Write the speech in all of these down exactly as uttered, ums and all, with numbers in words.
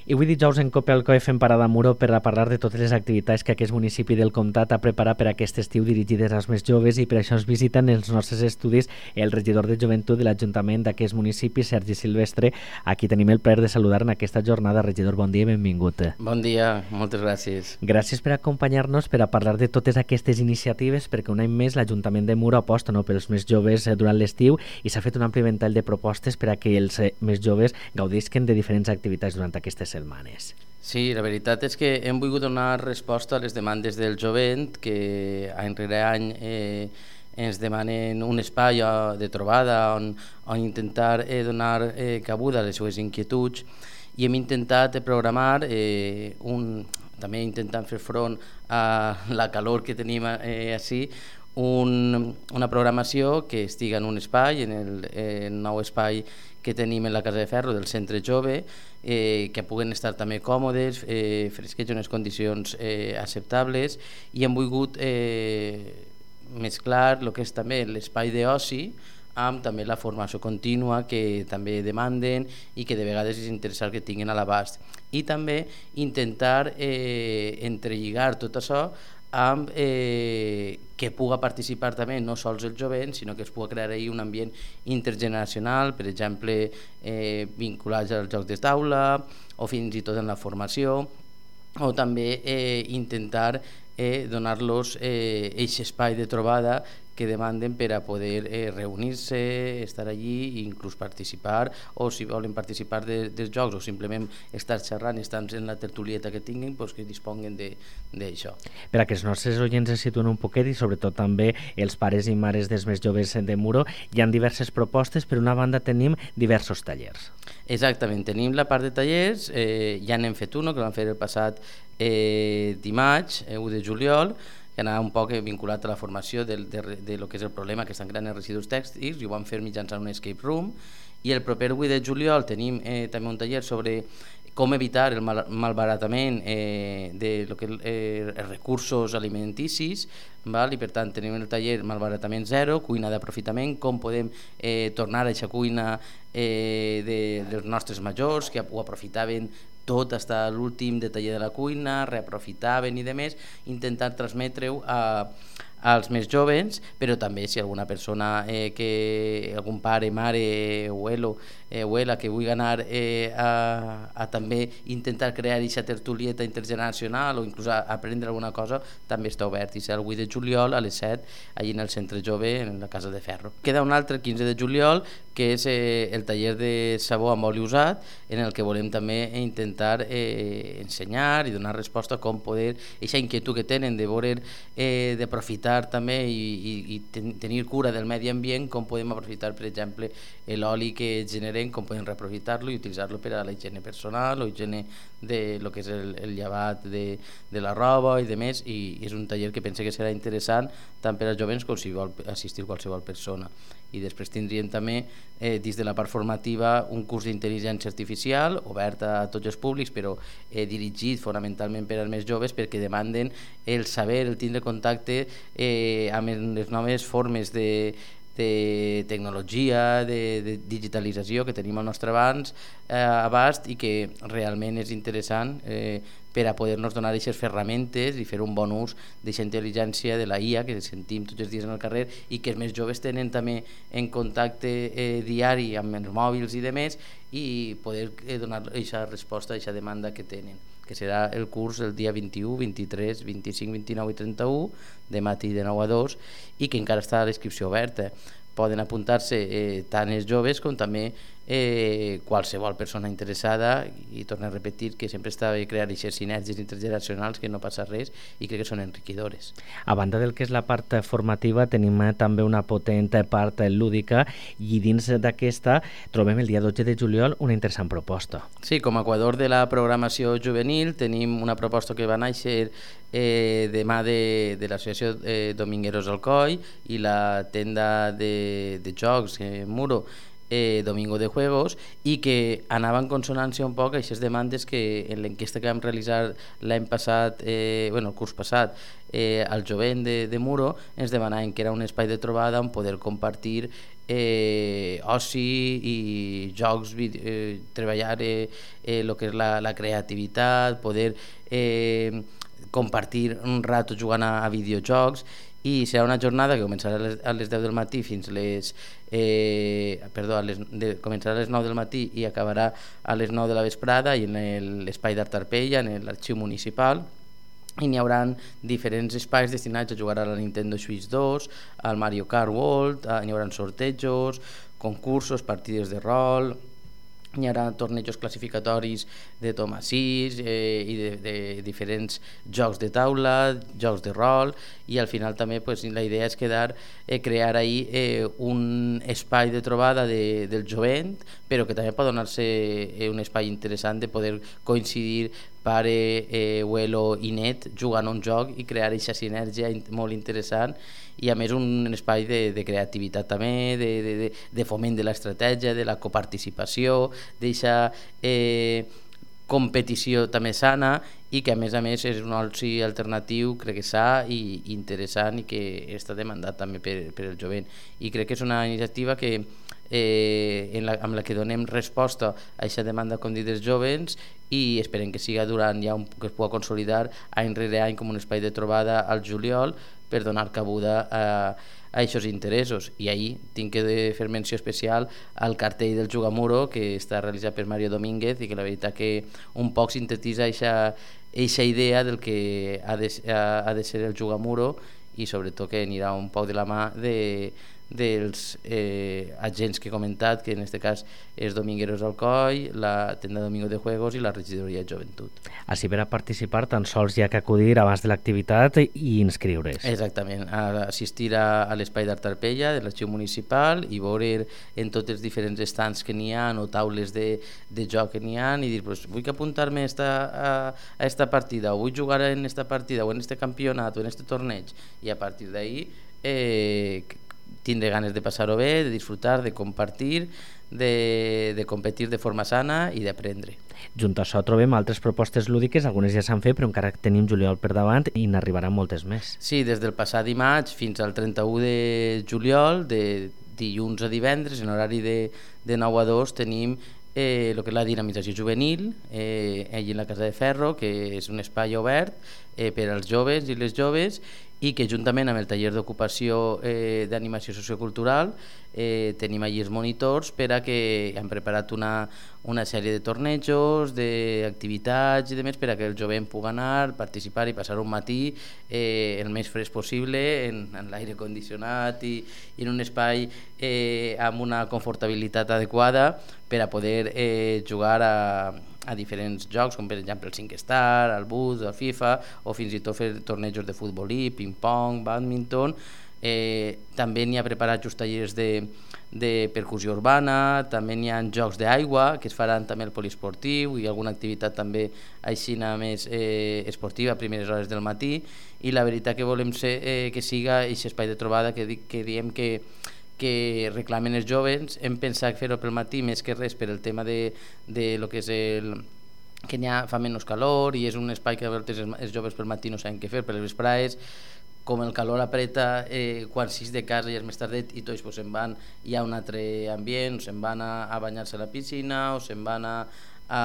I avui dijous en Copelco fem parada a Muro per a parlar de totes les activitats que aquest municipi del Comtat ha preparat per a aquest estiu dirigides als més joves, i per això ens visiten els nostres estudis el regidor de Joventut de l'Ajuntament d'aquest municipi, Sergi Silvestre. Aquí tenim el plaer de saludar en aquesta jornada. Regidor, bon dia i benvingut. Bon dia, moltes gràcies. Gràcies per acompanyar-nos per a parlar de totes aquestes iniciatives, perquè un any més l'Ajuntament de Muro aposta no, pels més joves durant l'estiu, i s'ha fet un ampli ventall de propostes per a que els més joves gaudisquen de diferents activitats durant aquestes setmanes. Sí, la veritat és que hem volgut donar resposta a les demandes del jovent, que any rere any eh, ens demanen un espai de trobada on, on intentar eh, donar eh, cabuda a les seues inquietuds, i hem intentat programar eh, un, també intentant fer front a la calor que tenim eh, així, un, una programació que estiga en un espai, en el, el nou espai que tenim en la Casa de Ferro del Centre Jove, eh, que puguen estar també còmodes, eh, fresquets en unes condicions eh, acceptables, i hem volgut eh, mesclar el que és també l'espai d'oci amb també la formació contínua que també demanden i que de vegades és interessant que tinguin a l'abast, i també intentar eh, entrelligar tot això amb eh, que puga participar també no sols el jovent, sinó que es pugui crear ahí un ambient intergeneracional, per exemple eh, vinculats als jocs de taula o fins i tot en la formació, o també eh, intentar eh, donar-los eh, aquest espai de trobada que demanden per a poder eh, reunir-se, estar allí i inclús participar, o si volen participar de, dels jocs o simplement estar xerrant i estar en la tertulieta que tinguin, pues que disponguen d'això. Per a que els nostres oients es situen un poquet, i sobretot també els pares i mares dels més joves de Muro, hi ha diverses propostes. Per una banda tenim diversos tallers. Exactament, tenim la part de tallers, eh, ja n'hem fet un, que vam fer el passat eh, dimarts, eh, u de juliol, que anava un poc vinculat a la formació de, de, de lo que és el problema que estan creant els residus tèxtils, i ho vam fer mitjançant un escape room. I el proper vuit de juliol tenim eh, també un taller sobre com evitar el mal, malbaratament eh, de lo que, eh, els recursos alimenticis, val? I per tant tenim el taller malbaratament zero, cuina d'aprofitament, com podem eh, tornar a aquesta cuina eh, de, dels nostres majors que ho aprofitaven tot fins a l'últim detall de la cuina, reaprofitaven i demés, intentar transmetre-ho a, als més joves, però també si alguna persona, eh, que algun pare, mare, abuelo, eh, abuela, que vulgui anar eh, a, a també intentar crear aquesta tertulieta intergeneracional o inclús a, a aprendre alguna cosa, també està obert. I serà el vuit de juliol a les set, allà en el Centre Jove, en la Casa de Ferro. Queda un altre, el quinze de juliol, que és eh, el taller de sabó amb oli usat, en el que volem també intentar eh, ensenyar i donar resposta a com poder, aquesta inquietud que tenen de veure, eh, d'aprofitar també i, i, i ten, tenir cura del medi ambient, com podem aprofitar, per exemple, l'oli que generem, com podem reaprofitar-lo i utilitzar-lo per a la higiene personal o higiene de lo que és el, el llevat de, de la roba i demés, i, i és un taller que pense que serà interessant tant per als jovents com si vol assistir qualsevol persona. I després tindríem també, eh, dins de la part formativa, un curs d'intel·ligència artificial obert a tots els públics, però eh, dirigit fonamentalment per als més joves, perquè demanden el saber, el tindre contacte eh, amb les noves formes de, de tecnologia, de, de digitalització que tenim al nostre abans, eh, abast, i que realment és interessant eh, per a poder-nos donar aquestes ferramentes i fer un bon ús d'aquesta intel·ligència de la I A que sentim tots els dies en el carrer, i que els més joves tenen també en contacte eh, diari amb els mòbils i demés, i poder eh, donar aquesta resposta a aquesta demanda que tenen, que serà el curs el dia vint-i-u, vint-i-tres, vint-i-cinc, vint-i-nou i trenta-u, de matí de nou a dos, i que encara està la inscripció oberta. Poden apuntar-se eh, tant els joves com també eh, qualsevol persona interessada, i torno a repetir que sempre està bé crear aquestes sinergies intergeneracionals, que no passa res i crec que són enriquidores. A banda del que és la part formativa, tenim també una potent part lúdica, i dins d'aquesta trobem el dia dotze de juliol una interessant proposta. Sí, com a equador de la programació juvenil tenim una proposta que va néixer eh, de mà de, de l'associació eh, Domingueros Alcoi i la tenda de, de jocs eh, Muro, eh, Domingo de Juegos, i que anava en consonància un poc a aquestes demandes que en l'enquesta que vam realitzar l'any passat, eh, bueno, el curs passat, eh, al jovent de, de Muro, ens demanaven que era un espai de trobada on poder compartir eh, oci i jocs, eh, treballar eh, eh, lo que és la, la creativitat, poder eh, compartir un rato jugant a, a videojocs, i serà una jornada que començarà a les, a les deu del matí fins les eh, perdó, a les, de, començarà a les nou del matí i acabarà a les nou de la vesprada, i en l'espai d'Art Arpella, en l'arxiu municipal, i n'hi haurà diferents espais destinats a jugar a la Nintendo Switch dos, al Mario Kart World, n'hi haurà sortejos, concursos, partides de rol, hi haurà tornejos classificatoris de Toma sis eh, i de, de diferents jocs de taula, jocs de rol, i al final també pues, la idea és quedar, eh, crear ahí eh, un espai de trobada de, del jovent, però que també pot donar-se eh, un espai interessant de poder coincidir pare, eh, abuelo i net jugant a un joc i crear aquesta sinergia molt interessant, i a més un espai de, de creativitat també, de, de, de foment de l'estratègia, de la coparticipació, d'aquesta eh, competició també sana, i que a més a més és un oci alternatiu, crec que sa i interessant, i que està demandat també per, per el jovent, i crec que és una iniciativa que eh, en la, amb la que donem resposta a aquesta demanda, com dit, dels jovens, i esperem que siga durant ja un, que es pugui consolidar any rere any com un espai de trobada al juliol per donar cabuda a, a aquests interessos. I ahir tinc que fer menció especial al cartell del Jugamuro, que està realitzat per Mario Domínguez, i que la veritat que un poc sintetitza aquesta idea del que ha de, ha, ha de ser el Jugamuro, i sobretot que anirà un poc de la mà de, dels eh, agents que he comentat, que en aquest cas és Domingueros Alcoi, la tenda Domingo de Juegos i la regidoria de Joventut. Així per a participar tan sols hi ha que acudir abans de l'activitat i inscriure's. Exactament, a assistir a, a l'espai d'Art Arpella de l'arxiu municipal i veure en tots els diferents estants que n'hi ha o taules de, de joc que n'hi ha, i dir, pues, vull que apuntar-me esta, a, a esta partida, o vull jugar en esta partida o en este campionat o en este torneig, i a partir d'ahí eh, tindré ganes de passar-ho bé, de disfrutar, de compartir, de, de competir de forma sana i d'aprendre. Junt a això trobem altres propostes lúdiques, algunes ja s'han fet, però encara tenim juliol per davant i n'arribaran moltes més. Sí, des del passat dimarts fins al trenta-u de juliol, de dilluns a divendres, en horari de, de nou a dos, tenim eh, el que és la dinamització juvenil, eh, allí en la Casa de Ferro, que és un espai obert eh, per als joves i les joves, i que juntament amb el taller d'ocupació eh, d'animació sociocultural eh, tenim allí els monitors per a que hem preparat una, una sèrie de tornejos, d'activitats i demés per a que el jovent pugui anar, participar i passar un matí eh, el més fresc possible en, en l'aire condicionat i, i en un espai eh, amb una confortabilitat adequada per a poder eh, jugar a a diferents jocs, com per exemple el cinc Star, el Bus, el FIFA, o fins i tot fer tornejos de futbolí, ping-pong, bàdminton. Eh, també n'hi ha preparats just tallers de, de percussió urbana, també n'hi ha jocs d'aigua que es faran també al poliesportiu i alguna activitat també així més eh, esportiva a primeres hores del matí, i la veritat que volem ser, eh, que siga aquest espai de trobada que, que diem que que reclamen els joves. Hem pensat fer-ho pel matí més que res per el tema de, de lo que és el que n'hi ha, fa menys calor, i és un espai que a vegades els joves pel matí no saben què fer, per les vesprades com el calor apreta, eh, quan sis de casa ja és més tardet i tots pues, se'n van, hi ha un altre ambient, o se'n van a, a banyar-se a la piscina o se'n van a, a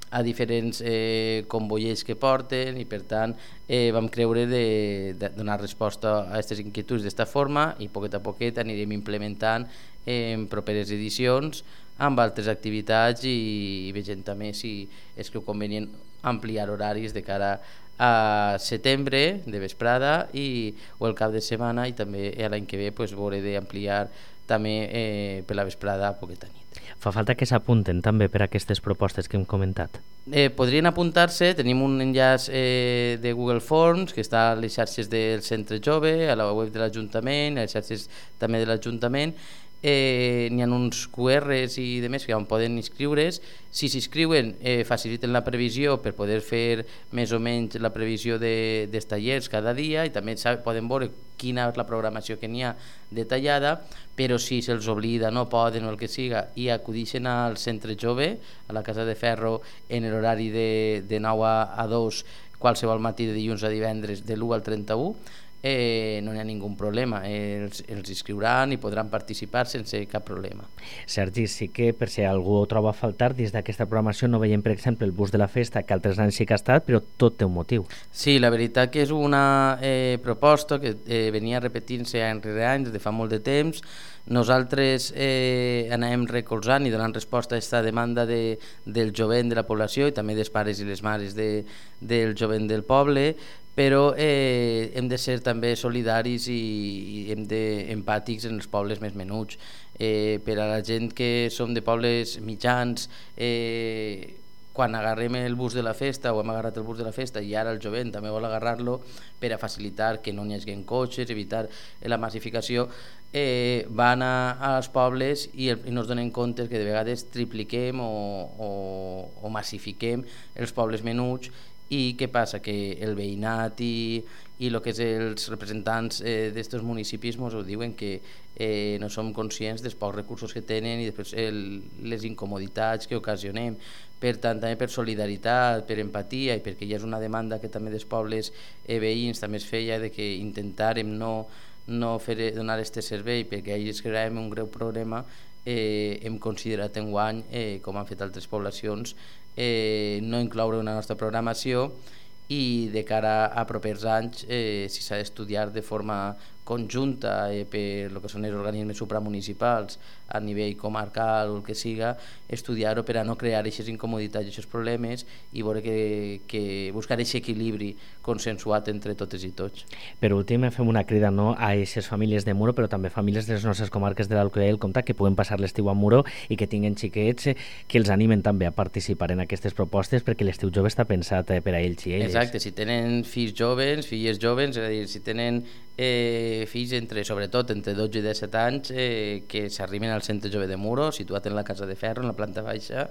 a diferents eh, convoiers que porten, i per tant eh, vam creure de, de donar resposta a aquestes inquietuds d'esta forma, i poquet a poquet anirem implementant en properes edicions amb altres activitats, i, i vegem també si és que convenient ampliar horaris de cara a setembre de vesprada i, o el cap de setmana, i també l'any que ve pues, veure d'ampliar també eh, per la vesprada a poqueta nit. Fa falta que s'apunten també per a aquestes propostes que hem comentat. Eh, podrien apuntar-se, tenim un enllaç eh, de Google Forms que està a les xarxes del Centre Jove, a la web de l'Ajuntament, a les xarxes també de l'Ajuntament. Eh, n'hi ha uns Q Rs i demés que on poden inscriure's. Si s'inscriuen eh, faciliten la previsió per poder fer més o menys la previsió de, dels tallers cada dia, i també saben, poden veure quina és la programació que n'hi ha detallada, però si se'ls oblida, no poden o el que siga, i acudixen al Centre Jove, a la Casa de Ferro, en l'horari de, de nou a dos, qualsevol matí de dilluns a divendres de l'u al trenta-u, eh, no hi ha ningú problema, els, els inscriuran i podran participar sense cap problema. Sergi, sí que per si algú ho troba a faltar, dins d'aquesta programació no veiem, per exemple, el bus de la festa, que altres anys sí que ha estat, però tot té un motiu. Sí, la veritat que és una eh, proposta que eh, venia repetint-se any rere any des de fa molt de temps. Nosaltres eh, anem recolzant i donant resposta a aquesta demanda de, del jovent de la població i també dels pares i les mares de, del jovent del poble, però eh, hem de ser també solidaris i, i hem de empàtics en els pobles més menuts. Eh, per a la gent que som de pobles mitjans, eh, quan agarrem el bus de la festa o hem agarrat el bus de la festa i ara el jovent també vol agarrar-lo per a facilitar que no n'hi hagi cotxes, evitar la massificació, eh, van a, als pobles i, el, i no es donen compte que de vegades tripliquem o, o, o massifiquem els pobles menuts. I què passa? Que el veïnat i, i el que és els representants eh, d'estos municipis ens ho diuen, que eh, no som conscients dels pocs recursos que tenen i després el, les incomoditats que ocasionem. Per tant, també per solidaritat, per empatia i perquè ja és una demanda que també dels pobles eh, veïns també es feia, de que intentàrem no, no fer, donar aquest servei perquè ells creàvem un greu problema, eh, hem considerat enguany, eh, com han fet altres poblacions, Eh, no incloure una nostra programació i de cara a propers anys, eh, si s'ha d'estudiar de forma conjunta eh, per el que són els organismes supramunicipals a nivell comarcal o el que siga, estudiar-ho per a no crear aquestes incomoditats i aquests problemes i veure que, que buscar aquest equilibri consensuat entre totes i tots. Per últim, fem una crida no, a aquestes famílies de Muro, però també famílies de les nostres comarques de l'Alcoià i el Comtat que puguen passar l'estiu a Muro i que tinguen xiquets que els animen també a participar en aquestes propostes, perquè l'estiu jove està pensat per a ells i elles. Exacte, si tenen fills joves, filles joves, és a dir, si tenen eh, fills entre, sobretot entre dotze i disset anys, eh, que s'arriben al centre jove de Muro, situat en la Casa de Ferro, en la planta baixa,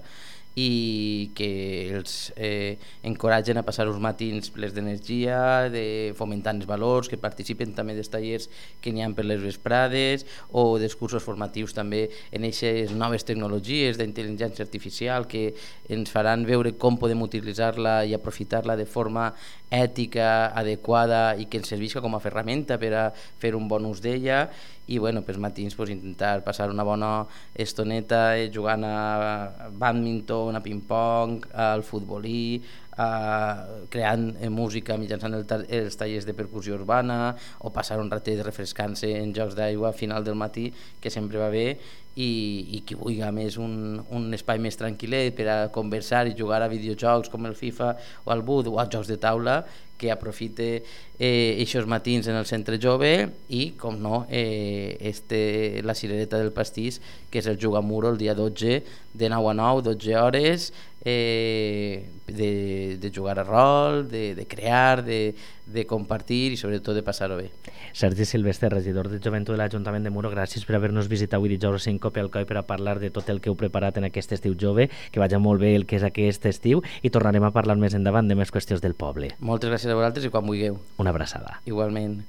i que els eh, encoratgen a passar uns matins plens d'energia, de fomentant els valors, que participen també dels tallers que n'hi ha per les vesprades o dels cursos formatius també en aquestes noves tecnologies d'intel·ligència artificial que ens faran veure com podem utilitzar-la i aprofitar-la de forma ètica, adequada i que ens servisca com a ferramenta per a fer un bon ús d'ella. I bueno, pels matins pues, intentar passar una bona estoneta eh, jugant a bàdminton, a ping-pong, al futbolí, a, creant eh, música mitjançant el ta els tallers de percussió urbana o passar un ratet refrescant-se en jocs d'aigua a final del matí, que sempre va bé, i, i qui vulgui a més un, un espai més tranquil·let per a conversar i jugar a videojocs com el FIFA o el Bud o als jocs de taula, que aprofite eh, eixos matins en el centre jove i, com no, eh, este, la cirereta del pastís, que és el Juga Muro el dia dotze, de nou a nou, dotze hores, eh, de, de jugar a rol, de, de crear, de, de compartir i sobretot de passar-ho bé. Sergi Silvestre, regidor de Joventut de l'Ajuntament de Muro, gràcies per haver-nos visitat avui dijous en Cope Alcoi per a parlar de tot el que heu preparat en aquest estiu jove, que vagi molt bé el que és aquest estiu i tornarem a parlar més endavant de més qüestions del poble. Moltes gràcies a vosaltres i quan vulgueu. Una abraçada. Igualment.